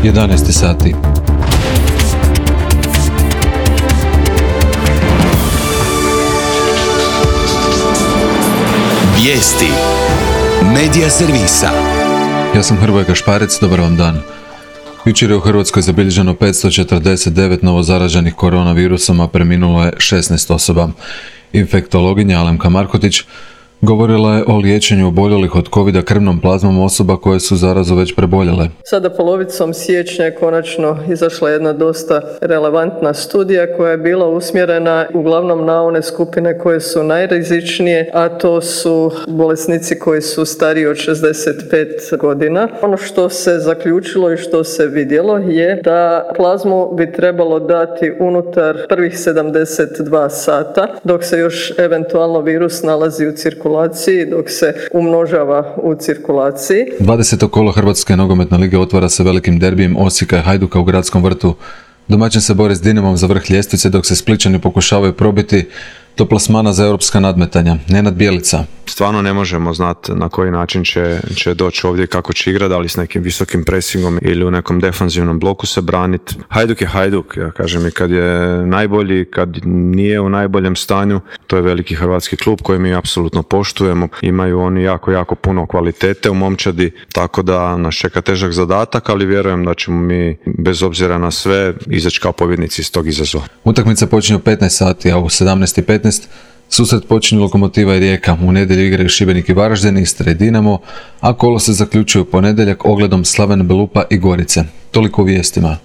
11 sati. Vijesti Medija servisa. Ja sam Hrvoje Gašparec, dobar vam dan. Jučer je u Hrvatskoj zabilježeno 549 novozaraženih koronavirusom, a preminulo je 16 osoba. Infektologinja Alemka Markotić govorila je o liječenju oboljelih od covida krvnom plazmom osoba koje su zarazu već preboljele. Sada polovicom siječnja je konačno izašla jedna dosta relevantna studija koja je bila usmjerena uglavnom na one skupine koje su najrizičnije, a to su bolesnici koji su stariji od 65 godina. Ono što se zaključilo i što se vidjelo je da plazmu bi trebalo dati unutar prvih 72 sata, dok se još eventualno virus nalazi u cirkulaciji, dok se umnožava u cirkulaciji. 20. kolo Hrvatske nogometne lige otvara se velikim derbijem Osijeka i Hajduka u Gradskom vrtu. Domaćin se bori s Dinamom za vrh ljestvice, dok se Splićani pokušavaju probiti do plasmana za europska nadmetanja. Nenad Bjelica. Stvarno ne možemo znati na koji način će doći ovdje, kako će igrati, da li s nekim visokim presingom ili u nekom defanzivnom bloku se braniti. Hajduk je Hajduk, ja kažem, i kad je najbolji, kad nije u najboljem stanju, to je veliki hrvatski klub koji mi apsolutno poštujemo. Imaju oni jako puno kvalitete u momčadi, tako da nas čeka težak zadatak, ali vjerujem da ćemo mi, bez obzira na sve, izaći kao pobjednici iz tog izazova. Utakmica počinje u 15 sati, a u 17:15 susret počinju Lokomotiva i Rijeka. U nedjelju igraju Šibenik i Varaždin, Istra i Dinamo, a kolo se zaključuje u ponedjeljak ogledom Slaven Belupa i Gorice. Toliko u vijestima.